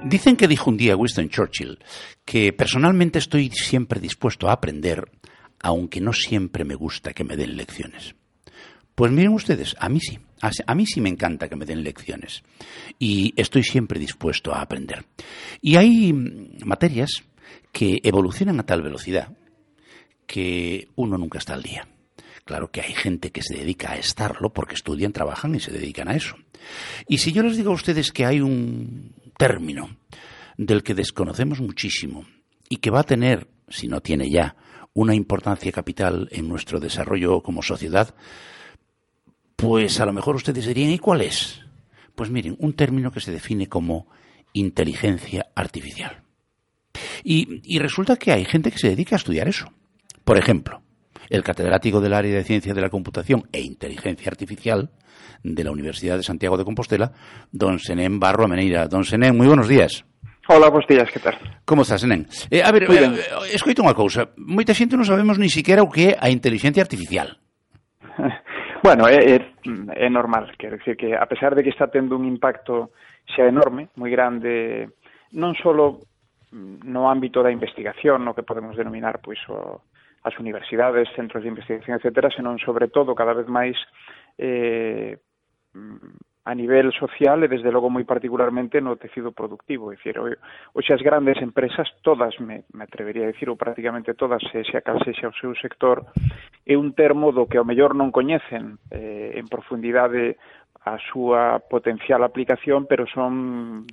Dicen que dijo un día Winston Churchill que personalmente estoy siempre dispuesto a aprender, aunque no siempre me gusta que me den lecciones. Pues miren ustedes, a mí sí. A mí sí me encanta que me den lecciones y estoy siempre dispuesto a aprender. Y hay materias que evolucionan a tal velocidad que uno nunca está al día. Claro que hay gente que se dedica a estarlo porque estudian, trabajan y se dedican a eso. Y si yo les digo a ustedes que hay un término del que desconocemos muchísimo y que va a tener, si no tiene ya, una importancia capital en nuestro desarrollo como sociedad, pues a lo mejor ustedes dirían, ¿y cuál es? Pues miren, un término que se define como inteligencia artificial. Y resulta que hay gente que se dedica a estudiar eso. Por ejemplo, el catedrático del área de Ciencia de la Computación e Inteligencia Artificial de la Universidad de Santiago de Compostela, don Senén Barro Ameneira. Don Senén, moi buenos días. Hola, bons días, que tal? Como está, Senén? Escoita unha cousa. Moita xente non sabemos ni siquiera o que é a inteligencia artificial. Bueno, é normal, quero dicir que a pesar de que está tendo un impacto xa enorme, moi grande, non só no ámbito da investigación, no que podemos denominar pois as universidades, centros de investigación, etcétera, senón sobre todo cada vez máis a nivel social e desde logo moi particularmente no tecido productivo. É dicir, hoxe as grandes empresas, todas, me atrevería a dicir, ou prácticamente todas, xa cal sexa o seu sector, é un termo do que ao mellor non coñecen en profundidade a súa potencial aplicación, pero son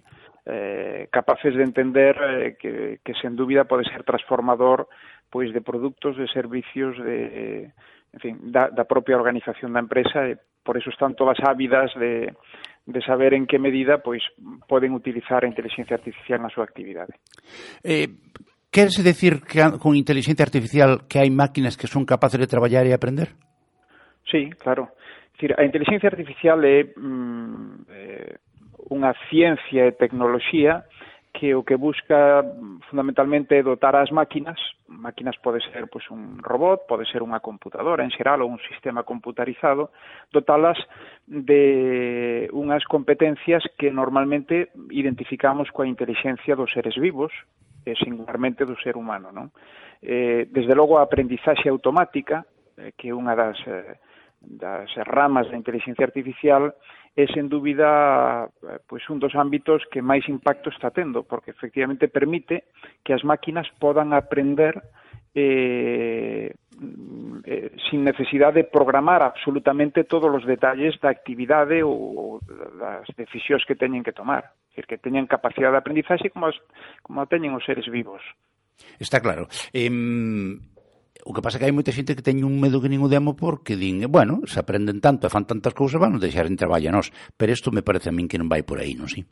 capaces de entender que sen dúbida pode ser transformador pois de produtos, de servicios, en fin, da propia organización da empresa, e por eso están todas ávidas de saber en que medida pois poden utilizar a inteligencia artificial na súa actividade. Querese decir que con inteligencia artificial que hai máquinas que son capaces de traballar e aprender? Sí, claro. É dicir, a inteligencia artificial é unha ciencia e tecnoloxía que o que busca fundamentalmente é dotar as máquinas pode ser pois un robot, pode ser unha computadora en xeral ou un sistema computarizado, dotalas de unhas competencias que normalmente identificamos coa inteligencia dos seres vivos e singularmente do ser humano, non? Desde logo a aprendizaxe automática, que é unha das ramas da inteligencia artificial, é sen dúbida pois un dos ámbitos que máis impacto está tendo, porque efectivamente permite que as máquinas podan aprender sin necesidade de programar absolutamente todos os detalles da actividade ou das decisións que teñen que tomar. É dicir, que teñen capacidade de aprendizaxe como teñen os seres vivos. Está claro. O que pasa é que hai moita xente que teñe un medo que nin o demo porque din, bueno, se aprenden tanto e fan tantas cousas, van a deixar en traballo a nós. Pero isto me parece a min que non vai por aí, non si?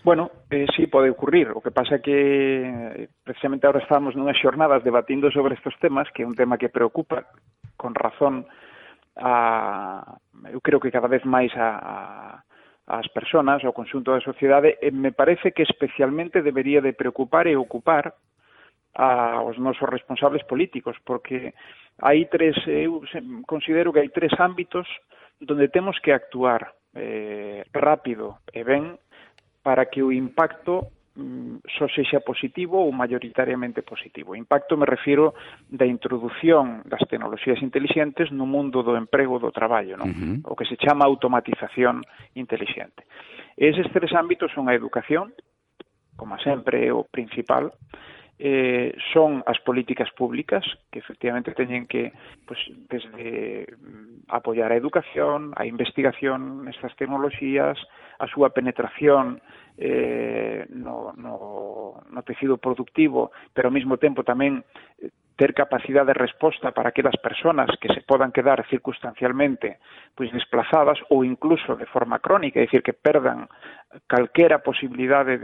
Bueno, sí, pode ocurrir. O que pasa é que precisamente ahora estamos nunhas xornadas debatindo sobre estes temas, que é un tema que preocupa con razón eu creo que cada vez máis as persoas, ao conxunto da sociedade, e me parece que especialmente debería de preocupar e ocupar aos nosos responsables políticos, porque eu considero que hai tres ámbitos onde temos que actuar rápido e ben para que o impacto só sexa positivo ou mayoritariamente positivo. Impacto me refiro da introdución das tecnoloxías intelixentes no mundo do emprego do traballo, non? O que se chama automatización intelixente. Eses tres ámbitos son a educación, como sempre é o principal, son as políticas públicas que efectivamente teñen que pues, desde apoiar a educación, a investigación nestas tecnoloxías, a súa penetración no tecido productivo, pero ao mesmo tempo tamén ter capacidade de resposta para aquelas persoas que se podan quedar circunstancialmente pois desplazadas ou incluso de forma crónica, é dicir, que perdan calquera posibilidade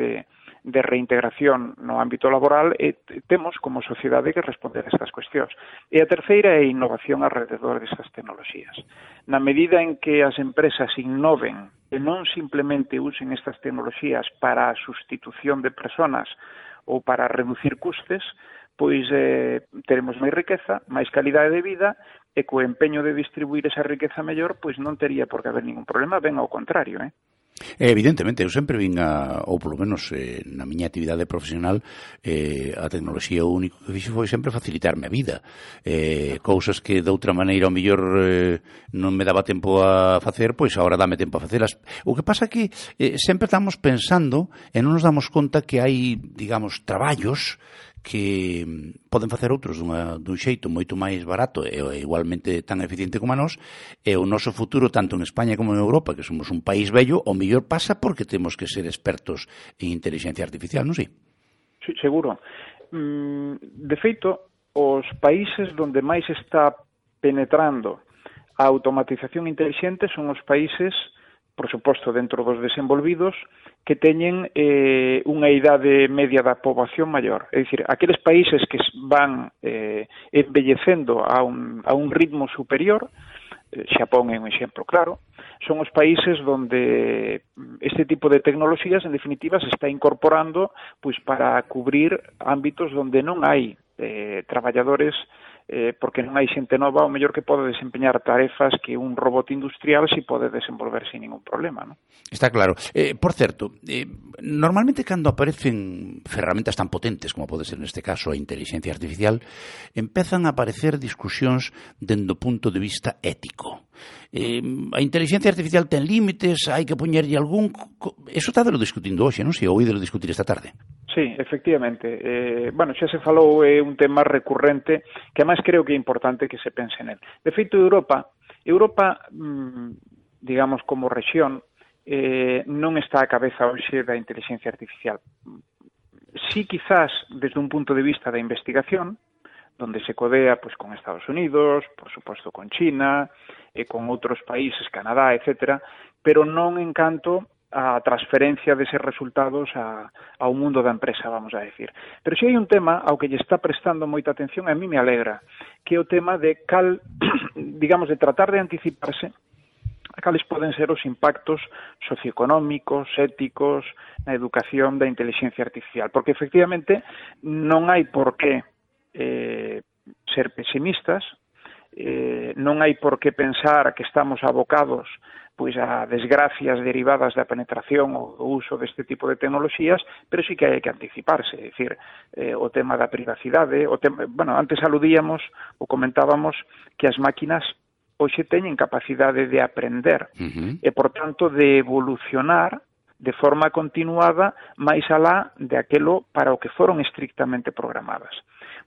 de reintegración no ámbito laboral, e temos como sociedade que responder a estas cuestións. E a terceira é a innovación alrededor destas tecnoloxías. Na medida en que as empresas innoven e non simplemente usen estas tecnoloxías para a sustitución de persoas ou para reducir custes, pois teremos máis riqueza, máis calidade de vida, e co empeño de distribuir esa riqueza mellor, pois non tería por que haber ningún problema, ben ao contrario, Evidentemente, eu sempre vin ou polo menos na miña actividade profesional, a tecnoloxía o único que fixo foi sempre facilitarme a vida. Cousas que de outra maneira ao mellor non me daba tempo a facer, pois agora dame tempo a facelas. O que pasa que sempre estamos pensando e non nos damos conta que hai, digamos, traballos que poden facer outros dun xeito moito máis barato e igualmente tan eficiente como a nós, e o noso futuro, tanto en España como en Europa, que somos un país bello, o mellor pasa porque temos que ser expertos en inteligencia artificial, non sei? Sí, seguro. De feito, os países onde máis está penetrando a automatización inteligente son os países, por suposto, dentro dos desenvolvidos, que teñen unha idade media da poboación maior. É dicir, aqueles países que van envellecendo a un ritmo superior, Xapón é un exemplo claro, son os países onde este tipo de tecnoloxías, en definitiva, se está incorporando pois para cubrir ámbitos onde non hai traballadores, porque non hai xente nova, o mellor que pode desempeñar tarefas que un robot industrial si pode desenvolver sin ningún problema, non? Está claro. Por certo, normalmente cando aparecen ferramentas tan potentes como pode ser neste caso a inteligencia artificial, empezan a aparecer discusións dende o punto de vista ético. A inteligencia artificial ten límites, hai que poñerlle algún... Eso está de lo discutindo hoxe, non sei? Ou de lo discutir esta tarde. Sí, efectivamente. Bueno, xa se falou, é un tema recurrente que además creo que é importante que se pense nel. De feito, Europa, digamos, como rexión, non está a cabeza hoxe da inteligencia artificial. Sí, quizás, desde un punto de vista da investigación, donde se codea pues, con Estados Unidos, por suposto con China, con outros países, Canadá, etcétera, pero non en canto a transferencia deses resultados ao mundo da empresa, vamos a decir. Pero si hai un tema ao que lle está prestando moita atención, a mí me alegra, que é o tema de digamos, de tratar de anticiparse a cales poden ser os impactos socioeconómicos, éticos, na educación da inteligencia artificial. Porque, efectivamente, non hai por que ser pesimistas, non hai por que pensar que estamos abocados pois a desgracias derivadas da penetración ou do uso deste tipo de tecnoloxías, pero sí que hai que anticiparse, é dicir, o tema da privacidade, bueno, antes aludíamos ou comentábamos que as máquinas hoxe teñen capacidade de aprender e, por tanto, de evolucionar de forma continuada máis alá de aquelo para o que foron estrictamente programadas.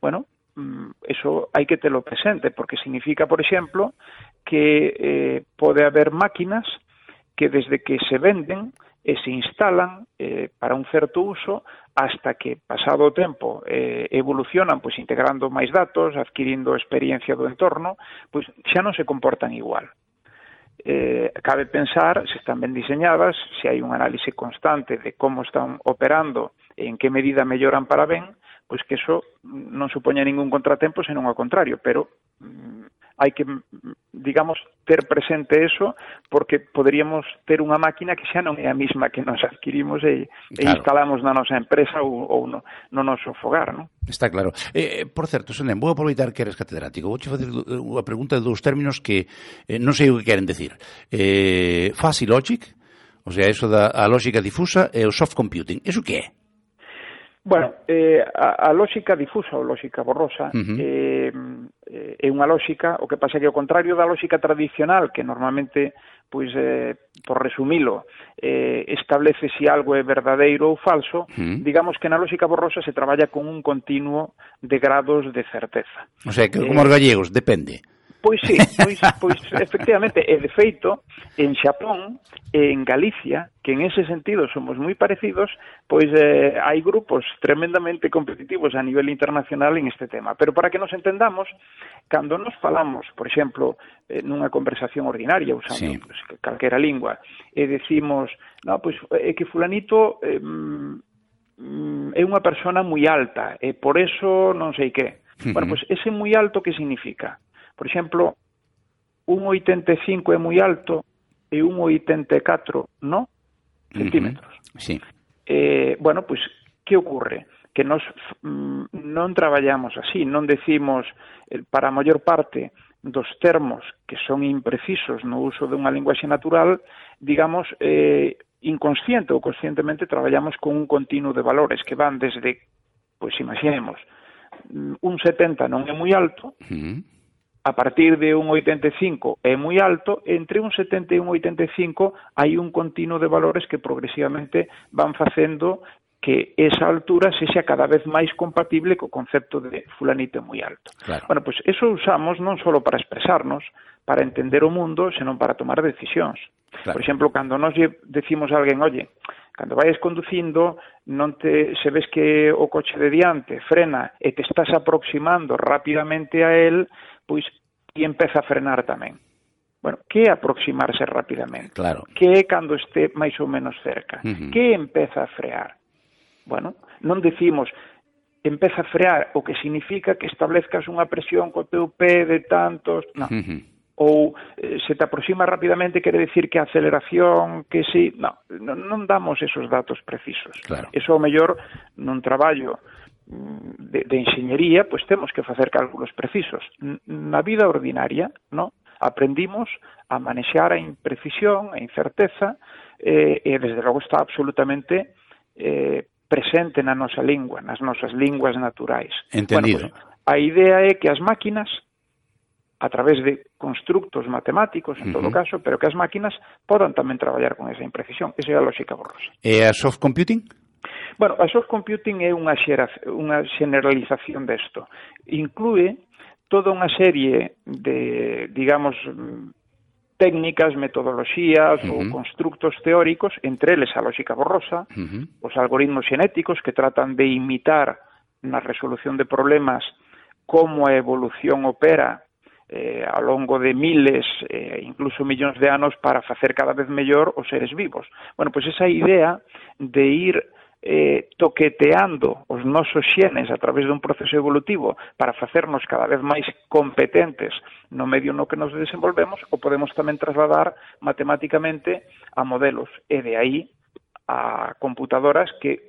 Bueno, eso hai que telo presente, porque significa, por exemplo, que pode haber máquinas que desde que se venden e se instalan para un certo uso hasta que, pasado o tempo, evolucionan, pois integrando máis datos, adquirindo experiencia do entorno, pois xa non se comportan igual. Cabe pensar se están ben diseñadas, se hai un análise constante de como están operando e en que medida melloran para ben, pois que eso non supoña ningún contratempo, senón ao contrario, pero hai que, digamos, ter presente eso, porque poderíamos ter unha máquina que xa non é a mesma que nos adquirimos e instalamos na nosa empresa ou no noso fogar, non? Está claro. Por certo, Senén, vou aproveitar que eres catedrático. Vou facer unha pregunta de dous términos que non sei o que queren decir. Fuzzy logic, o sea, eso da a lógica difusa, e o soft computing. Eso que é? Bueno, a lógica difusa ou lógica borrosa é unha lógica, o que pasa que ao contrario da lógica tradicional, que normalmente, pois, por resumilo, establece se algo é verdadeiro ou falso, digamos que na lógica borrosa se traballa con un continuo de grados de certeza. O sea, que como os gallegos, depende. Pois sí, pois efectivamente, e de feito, en Xapón e en Galicia, que en ese sentido somos moi parecidos, pois hai grupos tremendamente competitivos a nivel internacional en este tema. Pero para que nos entendamos, cando nos falamos, por exemplo, nunha conversación ordinaria, usando pues, calquera lingua, e decimos, no, pois é que fulanito é unha persona moi alta, e por eso non sei que. Bueno, pois ese moi alto que significa? Por exemplo, 1,85 é moi alto e 1,84 non centímetros. Sí. Bueno, pois, que ocurre? Que nos non traballamos así, non decimos para a maior parte dos termos que son imprecisos no uso dunha linguaxe natural, digamos, inconsciente ou conscientemente traballamos con un continuo de valores que van desde, pois imaginemos, un 70 non é moi alto, a partir de un 85 é moi alto, entre un 70 e un 85 hai un continuo de valores que progresivamente van facendo que esa altura sexa cada vez máis compatible co concepto de fulanito é moi alto. Claro. Bueno, pois eso usamos non só para expresarnos, para entender o mundo, senón para tomar decisións. Claro. Por exemplo, cando nos decimos a alguén, oye, cando vayas conducindo, se ves que o coche de diante frena e te estás aproximando rapidamente a él, pois ti empeza a frenar tamén. Bueno, que é aproximarse rapidamente? Claro. Que é cando este máis ou menos cerca? Que empeza a frear? Bueno, non decimos empeza a frear, o que significa que establezcas unha presión co teu pé de tantos... Non. Ou se te aproxima rapidamente quere decir que a aceleración, que si... Non damos esos datos precisos. Claro. Eso, ao mellor, nun traballo de enxeñería, pois temos que facer cálculos precisos. Na vida ordinaria, no, aprendimos a manexar a imprecisión, a incerteza, e desde logo está absolutamente presente na nosa lingua, nas nosas linguas naturais. Entendido. Bueno, pois, a idea é que as máquinas, a través de constructos matemáticos, en todo caso, pero que as máquinas podan tamén traballar con esa imprecisión. Esa é a lógica borrosa. E a soft computing? Bueno, a soft computing é unha generalización desto. Inclúe toda unha serie de, digamos, técnicas, metodoloxías ou constructos teóricos, entre eles a lógica borrosa, os algoritmos xenéticos que tratan de imitar na resolución de problemas como a evolución opera ao longo de miles, incluso millóns de anos para facer cada vez mellor os seres vivos. Bueno, pois esa idea de ir toqueteando os nosos xenes a través dun proceso evolutivo para facernos cada vez máis competentes no medio no que nos desenvolvemos, o podemos tamén trasladar matemáticamente a modelos, e de aí a computadoras que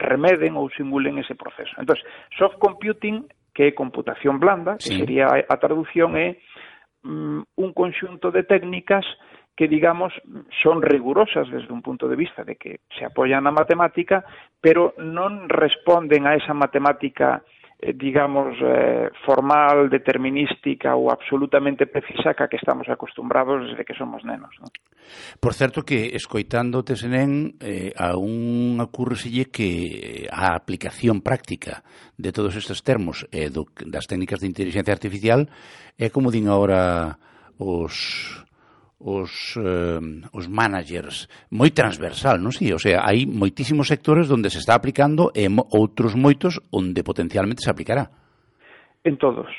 remeden ou simulen ese proceso. Entón, soft computing, que é computación blanda, que sería a traducción, é un conxunto de técnicas que, digamos, son rigurosas desde un punto de vista de que se apoyan na matemática, pero non responden a esa matemática, digamos, formal, determinística ou absolutamente precisa que estamos acostumbrados desde que somos nenos, non? Por certo que, escoitándote, Senén, a un ocurreselle que a aplicación práctica de todos estes termos das técnicas de inteligencia artificial é como din agora os managers, moi transversal, non si? O sea, hai moitísimos sectores onde se está aplicando e outros moitos onde potencialmente se aplicará. En todos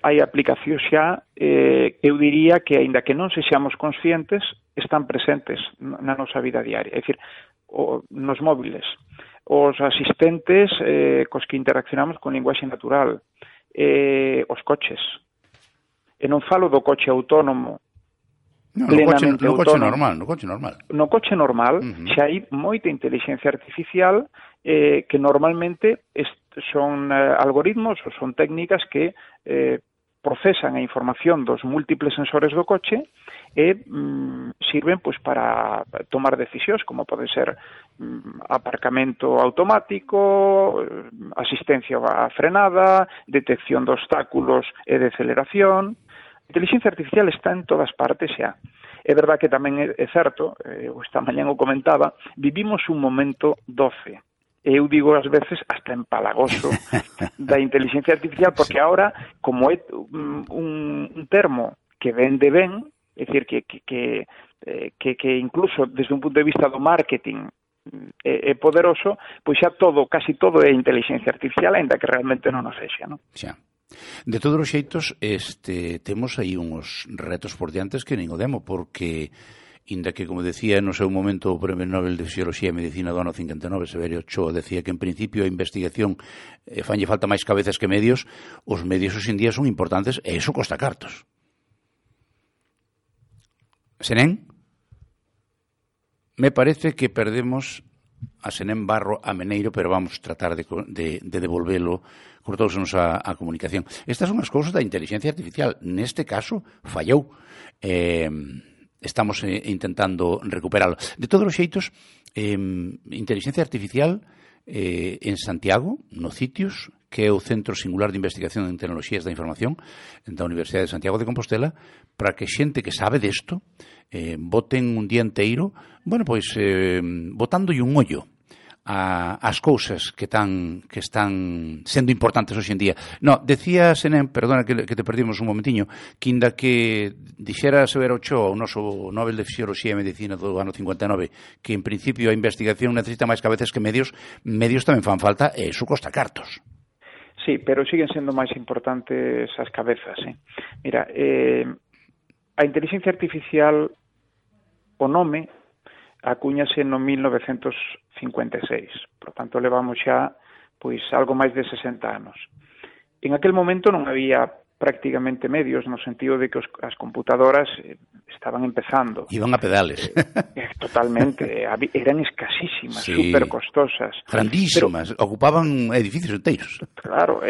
hai aplicacións xa, eu diría que, aínda que non sexamos conscientes, están presentes na nosa vida diaria. É dicir, nos móviles, os asistentes cos que interaccionamos con linguaxe natural, os coches. E non falo do coche autónomo, plenamente autónomo. No coche normal. No coche normal xa hai moita inteligencia artificial que normalmente son algoritmos ou son técnicas que procesan a información dos múltiples sensores do coche e sirven pois para tomar decisións, como pode ser aparcamento automático, asistencia á frenada, detección de obstáculos e de aceleración. A inteligencia artificial está en todas partes xa. É verdad que tamén é certo, esta mañán o comentaba, vivimos un momento doce. Eu digo ás veces hasta empalagoso da inteligencia artificial, porque ahora, como é un termo que vende ben, é dicir, que incluso desde un punto de vista do marketing é poderoso, pois xa casi todo é inteligencia artificial, aínda que realmente non o sexa, non? Xa. De todos os xeitos, temos aí uns retos por diantes que nin o demo, porque, inda que, como decía no seu momento o Premio Nobel de Fisioloxía e Medicina do ano 59, Severo Ochoa, decía que en principio a investigación fanlle falta máis cabezas que medios, os medios hoxe en día son importantes e iso costa cartos. Senén, me parece que perdemos a Senén Barro Ameneiro, pero vamos tratar de devolvelo, cortousenos a comunicación. Estas son as cousas da inteligencia artificial. Neste caso, fallou. estamos intentando recuperalo. De todos os xeitos, inteligencia artificial en Santiago, no CITIUS, que é o Centro Singular de Investigación en Tecnoloxías da Información da Universidade de Santiago de Compostela, para que xente que sabe desto boten un día inteiro, botándolle un ollo as cousas que están sendo importantes hoxe en día. No, decía Senén, perdona que te perdimos un momentiño, que inda que dixera Severo Ochoa, o noso Nobel de Fisioloxía e Medicina do ano 59, que en principio a investigación necesita máis cabezas que medios tamén fan falta, e iso costa cartos. Sí, pero siguen sendo máis importantes as cabezas. Mira, a inteligencia artificial, o nome, acúñase no 1956. Por tanto, levamos xa algo máis de 60 anos. En aquel momento non había prácticamente medios, no sentido de que as computadoras estaban empezando. Iban a pedales. Totalmente. Eran escasísimas, sí, super costosas. Grandísimas, ocupaban edificios enteiros. Claro.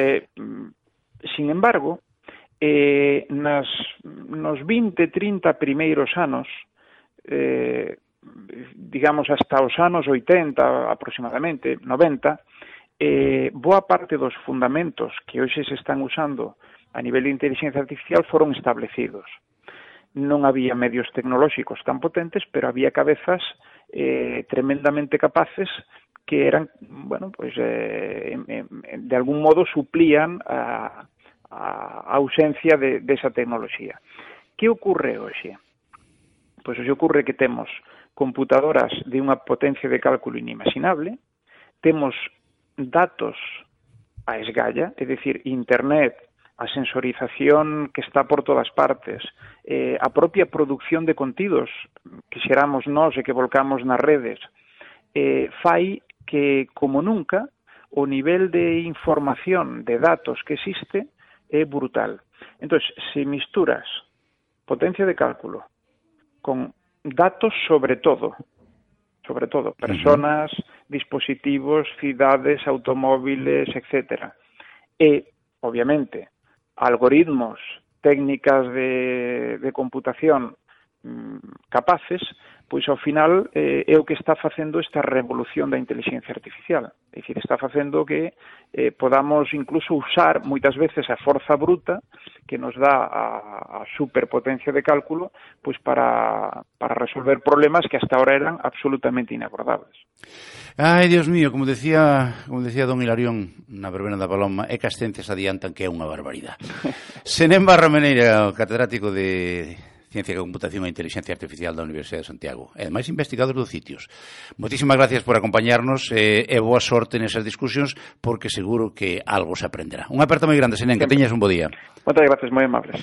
Sin embargo, nos 20, 30 primeiros anos, digamos hasta os anos 80 aproximadamente, 90, boa parte dos fundamentos que hoxe se están usando a nivel de inteligencia artificial foron establecidos. Non había medios tecnolóxicos tan potentes, pero había cabezas tremendamente capaces que eran, de algún modo suplían a ausencia desa tecnoloxía. Que ocorre hoxe? Pois hoxe ocorre que temos computadoras de unha potencia de cálculo inimaginable, temos datos a esgalla, é dicir, internet, a sensorización que está por todas partes, a propia producción de contidos que xeramos nós e que volcamos nas redes, fai que, como nunca, o nivel de información, de datos que existe é brutal. Entón, se misturas potencia de cálculo con datos sobre todo, personas, dispositivos, cidades, automóviles, etc. E, obviamente, algoritmos, técnicas de computación capaces, pois ao final é o que está facendo esta revolución da inteligencia artificial. É dicir, está facendo que podamos incluso usar moitas veces a forza bruta que nos dá a superpotencia de cálculo pois para resolver problemas que hasta ahora eran absolutamente inabordables. Ai, Dios mío, como decía don Hilarión na verbena da Paloma, é que as ciencias adiantan, que é unha barbaridade. Senén Barra Meneira, catedrático de Ciencia de Computación e Inteligencia Artificial da Universidade de Santiago, e ademais investigador do CITIUS. Moitísimas gracias por acompañarnos e boa sorte nesas discusións, porque seguro que algo se aprenderá. Unha aperta moi grande, Senén, que teñas un bo día. Moitas gracias, moi amables.